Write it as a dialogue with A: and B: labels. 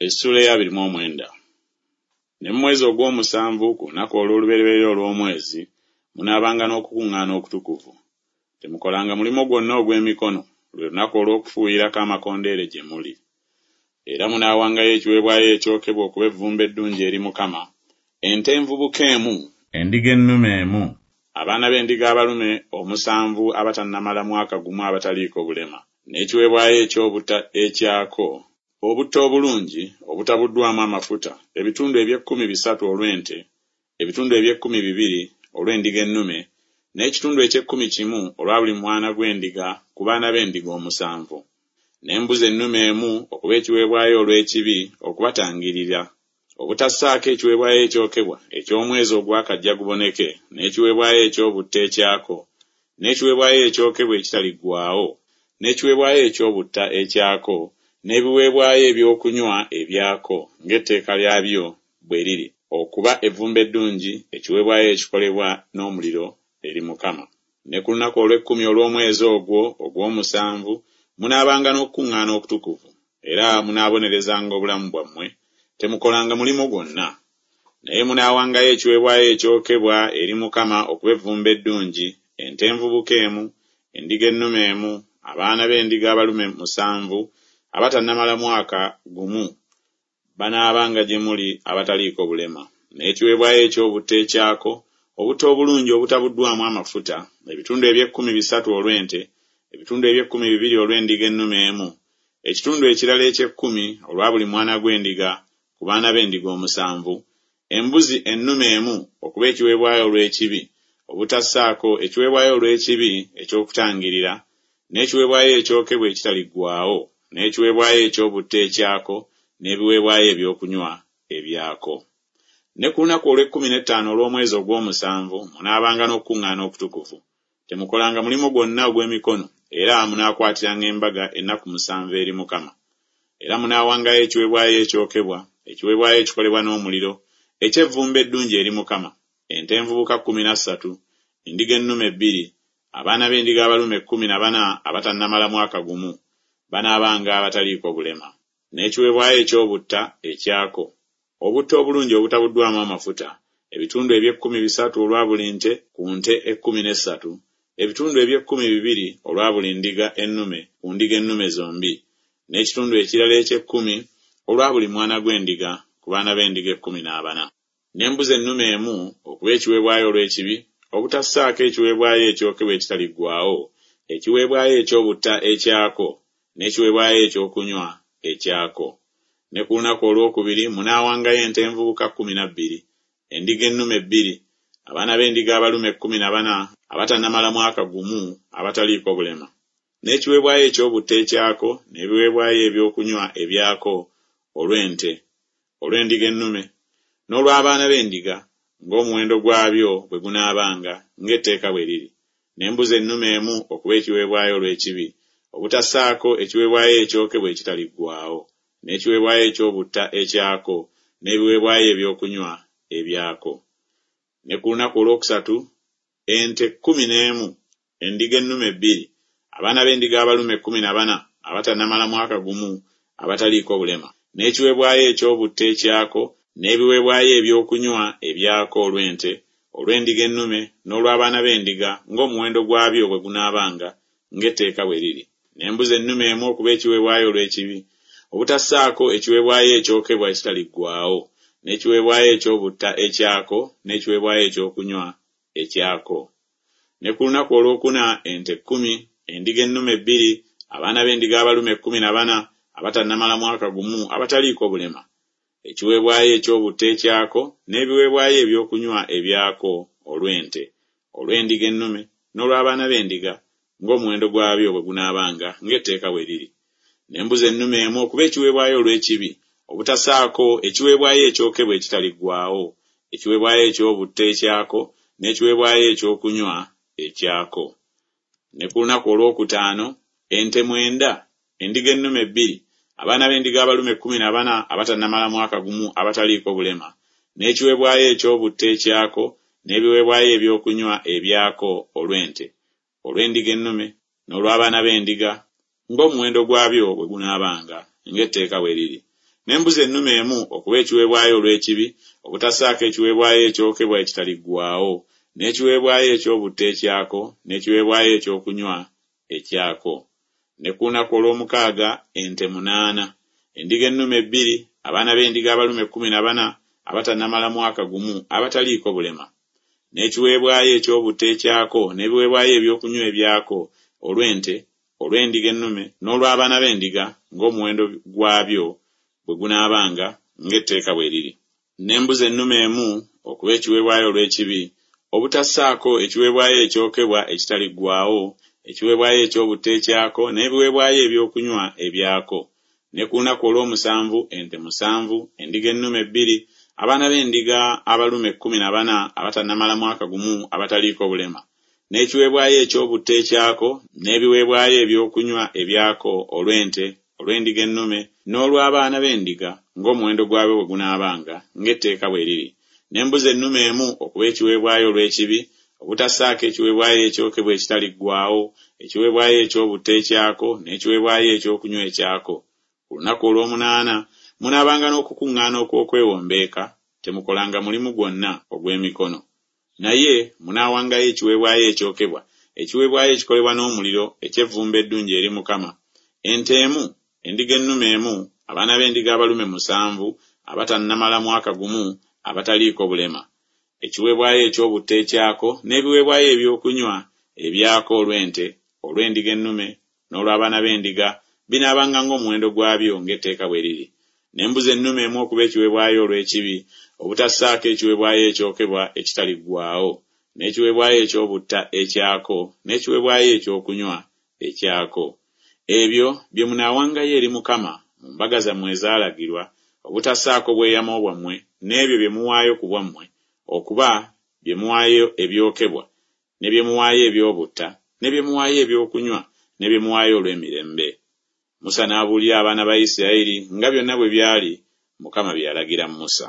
A: Essuula ey'abiri mu omwenda. Ne mu mwezi ogw'omusanvu ku lunaku olw'olubereberye olw'omwezi munaabanga n'okukuŋŋaana okutukuvu. Temukolanga mulimu gwonna ogw'emikono, lwe lunaku olw'okufuuyirako amakondeere gye muli. Era munaawangayo ekiweebwayo ekyokebwa okuba evvumbe eddungi eri Mukama, ente envubuka emu, endiga ennume emu, abaana b'endiga abalume omusanvu abatannamala mwaka gumu abataliiko bulema, n'ekiweebwayo eky'obutta ekyako, obutta obulungi obutabuddwamu amafuta, ebitundu eby'ekkumi bisatu olw'ente, ebitundu eby'ekkumi bibiri olw'endiga ennume, n'ekitundu eky'ekkumi kimu olwa buli mwana gw'endiga ku baana b'endiga omusanvu. N'embuzi ennume emu okuba ekiweebwayo olw'ekibi okubatangirira, obutassaako ekiweebwayo ekyokebwa eky'omwezi ogwa kajja guboneke, n'ekiweebwayo eky'obutta ekyako, n'ekiweebwayo ekyokebwa ekitaliggwaawo, n'ekiweebwayo eky'obutta ekyako, n'ebiweebwayo ebyokunywa ebyako, ng'etteeka lyabyo bwe liri, okuba evvumbe eddungi, ekiweebwayo ekikolebwa n'omuliro eri Mukama. Ne ku lunaku olw'ekkumi olw'omwezi ogwo ogw'omusanvu munaabanga n'okukuŋŋaana okutukuvu, era munaabonerezanga obulamu bwammwe, temukolanga mulimu gwonna. Naye munaawangayo ekiweebwayo ekyokebwa eri Mukama okuba evvumbe eddungi, ente envubuka emu, endiga ennume emu, abaana b'endiga abalume musanvu abatannamala mwaka gumu, banaabanga gye muli abataliiko bulema. N'ekiweebwayo eky'obutta ekyako, obutta obulungi obutabuddwamu amafuta, ebitundu eby'ekkumi bisatu olw'ente, ebitundu eby'ekkumi bibiri olw'endiga ennume emu, ekitundu ekirala eky'ekkumi olwa buli mwana gw'endiga ku baana b'endiga omusanvu, embuzi ennume emu okuba ekiweebwayo olw'ekibi, obutassaako ekiweebwayo olw'ekibi eky'okutangirira, n'ekiweebwayo ekyokebwa ekitaliggwaawo, n'ekiweebwayo eky'obutta ekyako, n'ebiweebwayo ebyokunywa ebyako. Ne ku lunaku olw'ekkumi n'ettaano olw'omwezi ogw'omusanvu munaabanga n'okukuŋŋaana okutukuvu. Temukolanga mulimu gwonna ogw'emikono, era munaakwatiranga embaga ennaku musanvu eri Mukama. Era munaawangayo ekiweebwayo ekyokebwa, ekiweebwayo ekikolebwa n'omuliro, eky'evvumbe eddungi eri Mukama, ente envubuka kkumi na ssatu, endiga ennume bbiri, abaana b'endiga abalume kkumi na bana abatannamala mwaka gumu, banaabanga abataliiko bulema. N'ekiweebwayo eky'obutta ekyako, obutta obulungi obutabuddwamu amafuta, ebitundu eby'ekkumi bisatu olwa buli nte ku nte ekkumi n'essatu, ebitundu eby'ekkumi bibiri olwa buli ndiga ennume ku ndiga ennume zombi, n'ekitundu ekirala eky'ekkumi olwa buli mwana gw'endiga ku baana b'endiga ekkumi n'abana. N'embuzi ennume emu okuba ekiweebwayo olw'ekibi, obutassaako ekiweebwayo ekyokebwa ekitaliggwaawo, ekiweebwayo eky'obutta ekyako, n'ekiweebwayo ekyokunywa ekyako. Ne ku lunaku olwokubiri munaawangayo ente envubuka kkumi na bbiri, endiga ennume bbiri, abaana b'endiga abalume kkumi na bana abatannamala mwaka gumu abataliiko bulema. N'ekiweebwayo eky'obutta ekyako, n'ebiweebwayo ebyokunywa ebyako olw'ente, olw'endiga ennume, n'olw'abaana b'endiga, ng'omuwendo gwabyo bwe gunaabanga, ng'etteeka bwe liri. N'embuzi ennume emu okuba ekiweebwayo olw'ekibi, obutassaako ekiweebwayo ekyokebwa ekitaliggwaawo, n'ekiweebwayo eky'obutta ekyako, n'ebiweebwayo ebyokunywa ebyako. Ne ku lunaku olwokusatu ente kkumi n'emu, endiga ennume bbiri, abaana b'endiga abalume kkumi na bana abatannamala mwaka gumu abataliiko bulema. N'ekiweebwayo eky'obutta ekyako, n'ebiweebwayo ebyokunywa ebyako olw'ente, olw'endiga ennume, n'olw'abaana b'endiga, ng'omuwendo gwabyo bwe gunaabanga, ng'etteeka bwe liri. N'embuzi ennume emu okuba ekiweebwayo olw'ekibi, obutassaako ekiweebwayo ekyokebwa ekitaliggwaawo, n'ekiweebwayo eky'obutta ekyako, n'ekiweebwayo ekyokunywa ekyako. Ne ku lunaku olwokuna ente kkumi, endiga ennume bbiri, abaana b'endiga abalume kkumi na bana abatannamala mwaka gumu abataliiko bulema. Ekiweebwayo eky'obutta ekyako, n'ebiweebwayo ebyokunywa ebyako olw'ente, olw'endiga ennume, n'olw'abaana b'endiga, ng'omuwendo gwabyo bwe gunaabanga, ng'etteeka bwe liri. N'embuzi ennume emu okuba ekiweebwayo olw'ekibi, obutasaako ekiweebwayo ekyokebwa ekitaliggwaawo, ekiweebwayo eky'obutta ekyako, n'ekiweebwayo ekyokunywa ekyako. Ne ku lunaku olwokutaano ente mwenda, endiga ennume bbiri, abaana b'endiga abalume kkumi na bana abatannamala mwaka gumu abataliiko bulema, n'ekiweebwayo eky'obutta ekyako, n'ebiweebwayo ebyokunywa ebyako olw'ente, olw'endiga ennume, n'olw'abaana b'endiga, ng'omuwendo gwabyo bwe gunaabanga, ng'etteeka bwe liri. N'embuzi ennume emu okuba ekiweebwayo olw'ekibi, obutassaako ekiweebwayo ekyokebwa ekitaliggwaawo, n'ekiweebwayo eky'obutta ekyako, n'ekiweebwayo ekyokunywa ekyako. Ne ku lunaku olw'omukaaga ente munaana, endiga ennume bbiri, abaana b'endiga abalume 14 abatannamala mwaka gumu abataliiko bulema. N'ekiweebwayo eky'obutta ekyako n'ebiweebwayo ebyokunywa ebyako olw'ente, olw'endiga ennume n'olw'abaana b'endiga ng'omuwendo gwabyo bwe gunaabanga, ng'etteeka bwe riri. N'embuzi ennume emu okuba ekiweebwayo olw'ekibi, obutassaako ekiweebwayo ekyokebwa ekitaliggwaawo, ekiweebwayo eky'obutta ekyako n'ebiweebwayo ebyokunywa ebyako. Ne ku lunaku olw'omusanvu ente musanvu, endiga ennume bbiri, abaana b'endiga abalume 14 abatannamala mwaka gumu abataliiko bulema. N'ekiweebwayo eky'obutta ekyako n'ebiweebwayo ebyokunywa ebyako olw'ente, olw'endiga ennume n'olw'abaana b'endiga ng'omuwendo gwabyo bwe gunaabanga, ng'etteeka bwe riri. N'embuzi ennume emu okuba ekiweebwayo olw'ekibi, obutassaako ekiweebwayo ekyokebwa ekitaliggwaawo, ekiweebwayo eky'obutta ekyako n'ekiweebwayo ekyokunywa ekyako. Ku lunaku olw'omunaana munaabanga n'okukuŋŋaana okw'okwewombeeka, temukolanga mulimu gwonna ogw'emikono. Naye munaawangayo ekiweebwayo ekyokebwa, ekiweebwayo ekikolebwa n'omuliro eky'evvumbe eddungi eri Mukama, ente emu, endiga ennume emu, abaana b'endiga abalume musanvu abatannamala mwaka gumu abataliiko bulema. Ekiweebwayo eky'obutta ekyako n'ebiweebwayo ebyokunywa ebyako olw'ente, olw'endiga ennume n'olw'abaana b'endiga binaabanga ng'omuwendo gwabyo ng'etteeka bwe riri. N'embuzi ennume emu okuba ekiweebwayo olw'ekibi, obutassaako ekiweebwayo ekyokebwa ekitaliggwaawo, n'ekiweebwayo eky'obutta ekyako n'ekiweebwayo ekyokunywa ekyako. Ebyo bye munaawangayo eri Mukama mu mbaga zammwe ezaalagirwa, obutassaako bweyamo bwammwe n'ebyo bye muwaayo ku bwammwe, okuba bye muwaayo ebyokebwa, ne bye muwaayo eby'obutta, ne bye muwaayo ebyokunywa, ne bye muwaayo olw'emirembe. Musa n'abuulira abaana ba Isirayiri nga byonna bwe byali Mukama bye yalagira Musa.